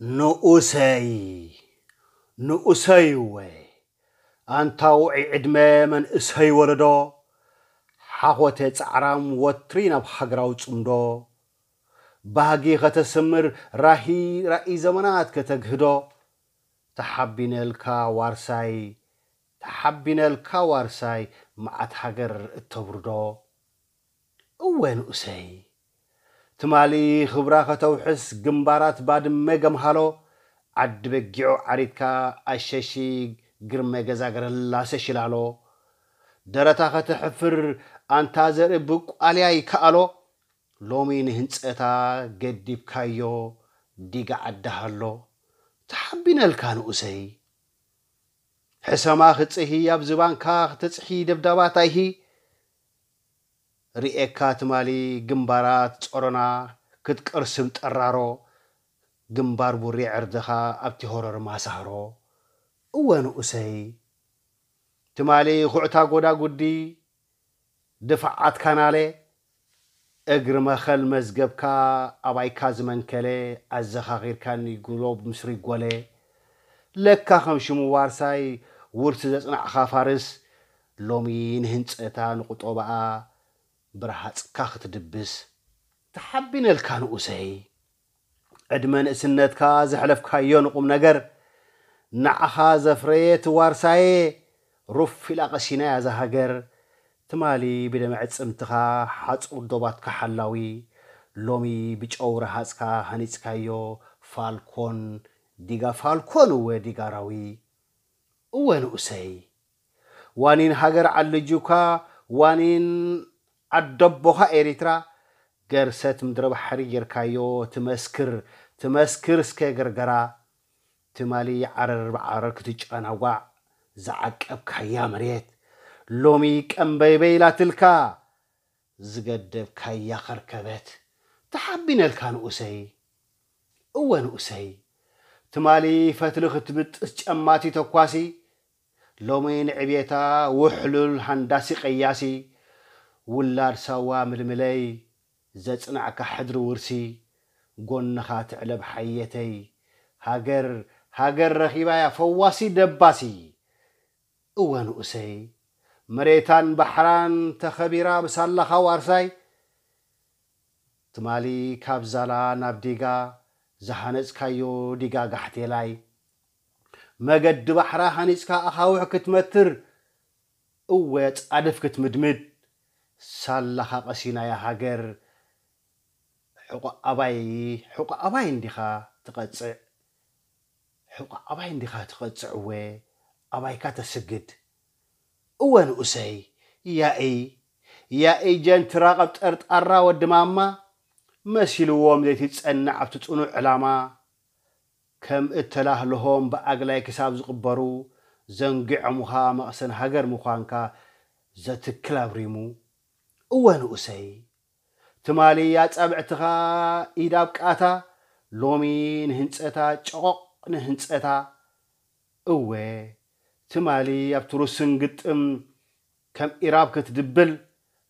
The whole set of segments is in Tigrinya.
ንኡሰይ ንኡሰይ እወ ኣንታ ውዒ ዕድመ መንእሰይ ወለዶ ሓኾተ ጻዕራም ወትሪ ናብ ሃገራዊ ጽምዶ ባህጊ ከተስምር ራሂ ራኢ ዘመናት ከተግህዶ ተሓቢነልካ ዋርሳይ ተሓቢነልካ ዋርሳይ መዓት ሃገር እተብርዶ እወ ንኡሰይ ትማሊ ክብራ ከተውሕስ ግንባራት ባድመ ገምሃሎ ዓዲ በጊዑ ዓሪትካ ኣሸሺ ግርመ ገዛ ገረላሰ ሽላሎ ደረታ ከተሕፍር ኣንታ ዘርኢ ብቋልያ ይከኣሎ ሎሚ ንህንጸታ ገዲብካዮ ዲጋ ዓዲ ሃሎ ተሓቢነልካ ንኡሰይ ሕሰማ ክጽሂ ኣብ ዝባንካ ክተጽሒ ደብዳባት ኣይሂ ርእየካ ትማሊ ግንባራት ጾሮና ክትቅርስም ጠራሮ ግንባር ቡሪ ዕርድኻ ኣብቲ ሆረር ማሳህሮ እወ ንኡሰይ ትማሊ ኩዕታ ጎዳጉዲ ድፋዓት ካናለ እግሪ መኸል መዝገብካ ኣባይካ ዝመንከለ ኣዘኻኺርካኒ ግሎብ ምስ ሪጎለ ለካ ከም ሽሙ ዋርሳይ ውርሲ ዘጽናዕኻ ፋርስ ሎሚ ንህንጸታ ንቁጠባኣ ብረሃጽካ ክትድብስ ተሓቢነልካ ንኡሰይ ዕድመ ንእስነትካ ዘሕለፍካዮ ንቁም ነገር ንዓኻ ዘፍረየት ዋርሳየ ሩፍ ኢላ ቀሲናያ እዛ ሃገር ትማሊ ብደመ ዕጽምትኻ ሓጹር ዶባትካ ሓላዊ ሎሚ ብጨው ረሃጽካ ሃኒጽካዮ ፋልኮን ዲጋ ፋልኮን እወ ዲጋ ኣራዊ እወ ንኡሰይ ዋኒን ሃገር ዓልጁካ ዋኒን ዓደቦኻ ኤሪትራ ገርሰት ምድረ ባሕሪ ጌርካዮ ትመስክር ትመስክር እስከ ገርገራ ትማሊ ዓረር ብዓረር ክትጨናዋዕ ዝዓቀብካያ መሬት ሎሚ ቀምበይበይ ኢላትልካ ዝገደብካያ ኸርከበት ተሓቢነልካ ንኡሰይ እወ ንኡሰይ ትማሊ ፈትሊ ክትብጥስ ጨማቲ ተኳሲ ሎሚ ንዕብየታ ውሕሉል ሃንዳሲ ቀያሲ ውላድ ሳዋ ምልምለይ ዘጽናዕካ ሕድሪ ውርሲ ጎንኻ ትዕለብ ሓየተይ ሃገር ሃገር ረኺባያ ፈዋሲ ደባሲ እወ ንኡሰይ መሬታን ባሕራን ተኸቢራ ብሳላኻ ዋርሳይ ትማሊ ካብ ዛላ ናብ ዲጋ ዝሃነጽካዮ ዲጋ ጋሕቴላይ መገዲ ባሕራ ሃኒጽካ ኣኻውሕ ክትመትር እወ ጻድፍ ክትምድምድ ሳላኻ ቀሲናያ ሃገር ሕቆ ኣባይ ሕቆ ኣባይ እንዲኻ ትቐጽዕ ሕቆ ኣባይ እንዲኻ ትቐጽዕ እወ ኣባይካ ተስግድ እወ ንኡሰይ ያኢ ያኢ ጀንትራ ቀብጠርጣራ ወዲ ማማ መሲልዎም ዘይትጸንዕ ኣብቲ ጽኑዕ ዕላማ ከም እተላህልሆም ብኣግላይ ክሳብ ዝቕበሩ ዘንጊዖምኻ መቕሰን ሃገር ምዃንካ ዘትክል ኣብሪሙ እወ ንኡሰይ ትማሊ ኣጻብዕትኻ ኢድ ኣብ ቃታ ሎሚ ንህንጸታ ጨቖቕ ንህንጸታ እወ ትማሊ ኣብቲ ሩስን ግጥም ከም ኢራብ ክትድብል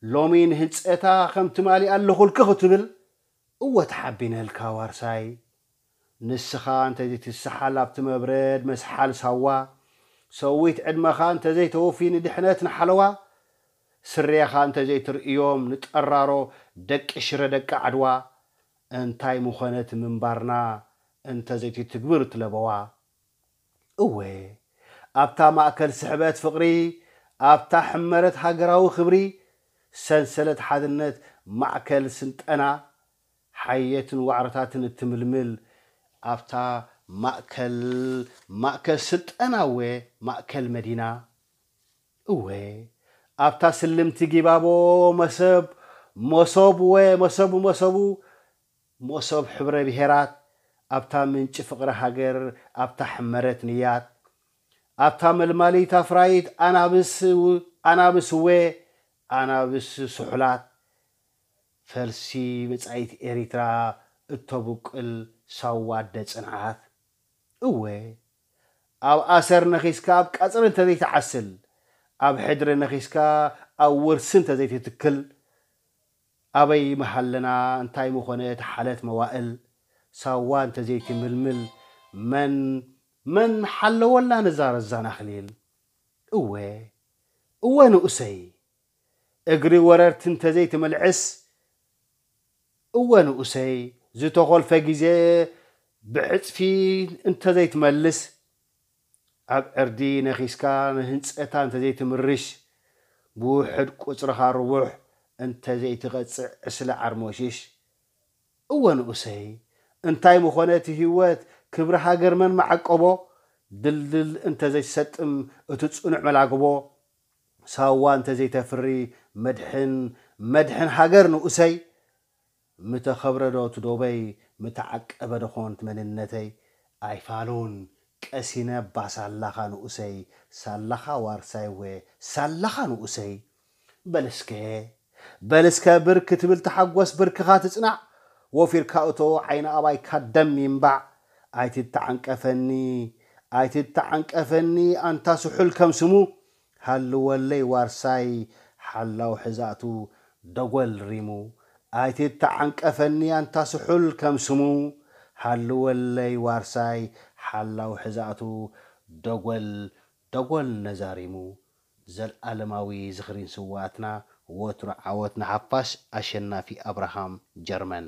ሎሚ ንህንጸታ ከም ትማሊ ኣለኹልኪ ክትብል እወ ተሓቢነልካ ዋርሳይ ንስኻ እንተዘይትስሓል ኣብቲ መብረድ መስሓል ሳዋ ሰዊት ዕድመኻ እንተዘይተወፊ ንድሕነት ንሓለዋ ስሬኻ እንተዘይትርእዮም ንጠራሮ ደቂ ሽረ ደቂ ዓድዋ እንታይ ምኾነት ምንባርና እንተዘይትትግብር ትለበዋ እወ ኣብታ ማእከል ስሕበት ፍቕሪ ኣብታ ሕመረት ሃገራዊ ክብሪ ሰንሰለት ሓድነት ማእከል ስልጠና ሓየትን ዋዕሮታትን እትምልምል ኣብታ ማእከል ማእከል ስልጠና እወ ማእከል መዲና እወ ኣብታ ስልምቲ ጊባቦ መሰብ መሶብ እወ መሰቡ መሰቡ መሶብ ሕብረ ብሄራት ኣብታ ምንጪ ፍቕሪ ሃገር ኣብታ ሕመረት ንያት ኣብታ መልማሊት ኣፍራይት ኣናብስ ኣናብስ እወ ኣናብስ ስሑላት ፈልሲ መጻኢት ኤሪትራ እተብቁል ሳዋ ኣደ ጽንዓት እወ ኣብ ኣሰር ነኺስካ ኣብ ቀጽሪ እንተዘይትዓስል ኣብ ሕድሪ ነኺስካ ኣብ ውርሲ እንተዘይትትክል ኣበይ ምሃለና እንታይ ምኾነ ተሓለት መዋእል ሳዋ እንተዘይትምልምል መን መን ሓለወላ ነዛ ረዛን ኣኽሊል? እወ እወ ንኡሰይ፣ እግሪ ወረርቲ እንተዘይትምልዕስ፣ እወ ንኡሰይ፣ ዝተኾልፈ ግዜ ብዕጽፊ እንተዘይትመልስ፣ ኣብ ዕርዲ ነኺስካ ንህንጸታ እንተዘይትምርሽ፣ ብውሕድ ቁጽርኻ ርቡሕ እንተዘይትቐጽዕ ዕስለ ዓርሞሽሽ። እወ ንኡሰይ፣ እንታይ ምኾነ እቲ ህይወት፣ ክብሪ ሃገር መን መዓቀቦ? ድልድል እንተዘይትሰጥም እቲ ጽኑዕ መላግቦ፣ ሳዋ እንተዘይተፍሪ መድሕን መድሕን ሃገር ንኡሰይ፣ ምተኸብረዶ እቲ ዶበይ፣ ምተዓቀበዶ ኾን እቲ መንነተይ? ኣይፋሉን ቀሲነ እባ ሳላኻ ንኡሰይ፣ ሳላኻ ዋርሳይ ወ ሳላኻ ንኡሰይ። በልስከ በልስከ ብር ክትብል ተሓጎስ ብርክኻ ትጽናዕ፣ ወፊርካ እቶ ዓይኒ ኣባይካ ደም ይንባዕ። ኣይትተዓንቀፈኒ ኣይትተዓንቀፈኒ ኣንታ ስሑል ከም ስሙ፣ ሃልወለይ ዋርሳይ ሓላው ሕዛእቱ ደጎል ሪሙ። ኣይትተዓንቀፈኒ ኣንታ ስሑል ከም ስሙ፣ ሃልወለይ ዋርሳይ ሓላው ሕዛእቱ ደጎል ደጎል ነዛሪሙ። ዘልኣለማዊ ዝኽሪ ንስውኣትና፣ ወትሩ ዓወት ንሓፋሽ። ኣሸናፊ ኣብርሃም፣ ጀርመን።